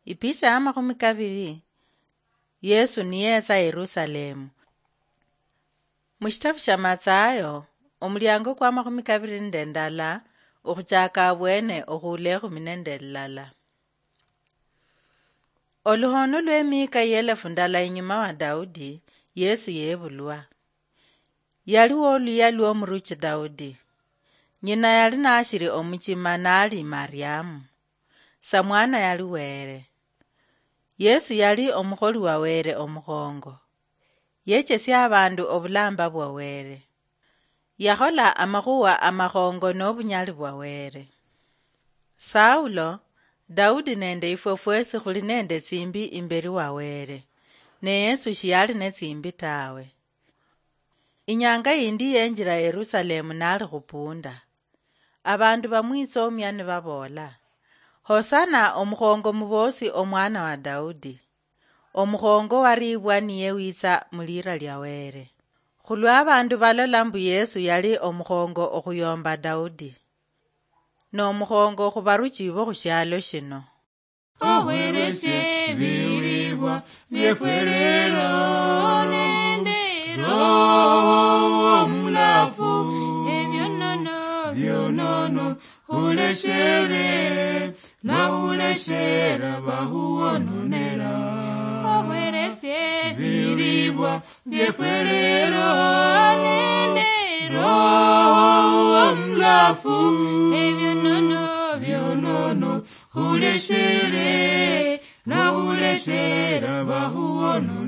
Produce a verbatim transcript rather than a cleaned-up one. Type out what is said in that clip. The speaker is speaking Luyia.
Ipicha ya makhumi kabiri, Yesu niyetsa Yerusalemu. Mushitabu sha Matsayo, omuliango kwa makhumi kabiri nende ndala, okhuchaka abwene okhuula ekhumi nende lilala. Oluhono lw'emiika y'elefu ndala inyuma wa Daudi, Yesu yebulwa. Yali woluya lw'omuruchi Daudi. Nyina yali nashiri omuchima nali Mariamu. Samwana yali Were. Yesu yali omukholi wa Were omukhongo. Yechesia abandu obulamba bwa Were. Yakhola amakhuwa amakhongo n'obunyali bwa Were. Saulo, Daudi nende ifwe fwesi khuli nende tsimbi imberi wa Were, ne Yesu shiyali ne tsimbi tawe. Inyanga yindi yenjira Yerusalemu nali khupunda. Abandu bamwitsomia nibaboola, "Hosana, omukhongo muboosi omwana wa Daudi. Omukhongo waribwa niye witsa mulira lia Were." Khulwa abandu balola mbu Yesu yali omukhongo okhuyomba Daudi, nomukhongo khubaruchi bo khushialo shino. Ohweresie ebilibwa biefwe lero nende Roho Omulafu, ebionono bionono huleshere, nahuleshera bahuwononera. Ohweresie ebilibwa biefwe lero nende Roho Omulafu, ebionono bionono huleshere, nahuleshera bahuwononera.